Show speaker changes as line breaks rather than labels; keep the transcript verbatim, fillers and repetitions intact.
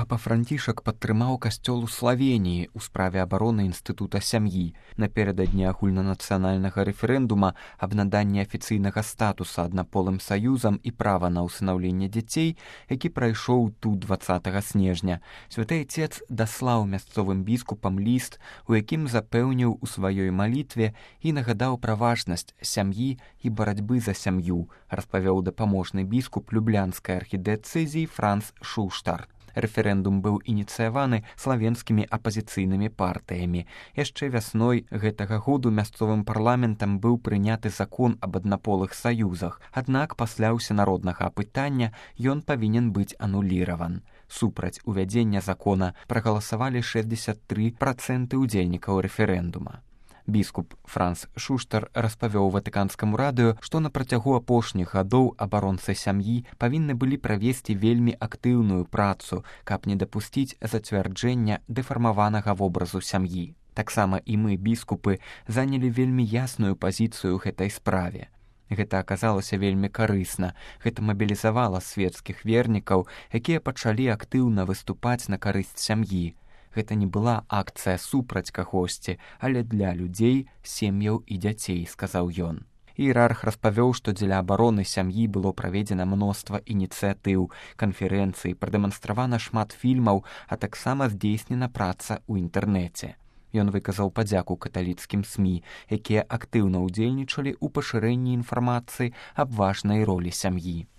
папа Францішак падтрымаў касцёл у Славеніі ў справе абароны інстытута сям'і. Напярэдадні агульнанацыянальнага рэферэндума аб наданні афіцыйнага статуса аднаполым саюзам і права на ўсынаўленне дзяцей, які прайшоў тут дваццатага снежня, святы Отец даслаў мясцовым біскупам ліст, у якім запэўніў у сваёй малітве і нагадаў пра важнасць сям'і і барацьбы за сям'ю, распавёў дапаможны біскуп люблянскай архідыцэзіі Франц Шуштар. Рэферэндум быў ініцыяваны славенскімі апазіцыйнымі партыямі. Яшчэ вясной гэтага году мясцовым парламентам быў прыняты закон аб аднаполых саюзах, аднак пасля ўсенароднага апытання ён павінен быць ануліраван. Супраць увядзення закона прагаласавалі шэсцьдзесят тры працэнты ўдзельнікаў рэферэндума. Біскуп Франц Шуштар распавёў ватыканскаму радыё, што на працягу апошніх гадоў абаронцы сям'і павінны былі правесці вельмі актыўную працу, каб не дапусціць зацвярджэння дэфармаванага вобразу сям'і. Таксама і мы, біскупы, занялі вельмі ясную пазіцыю ў гэтай справе. Гэта аказалася вельмі карысна. Гэта мабілізавала свецкіх вернікаў, якія пачалі актыўна выступаць на карысць сям'і. Гэта не была акцыя супраць кагосьці, але для людзей, сем'яў і дзяцей, сказаў ён. Іерарх распавёў, што дзеля абароны сям'і было праведзена мноства ініцыятыў, канферэнцый, прадэманстравана шмат фільмаў, а таксама здзейснена праца ў інтэрнэце. Ён выказаў падзяку каталіцкім СМІ, якія актыўна ўдзельнічалі ў пашырэнні інфармацыі аб важнай ролі сям'і.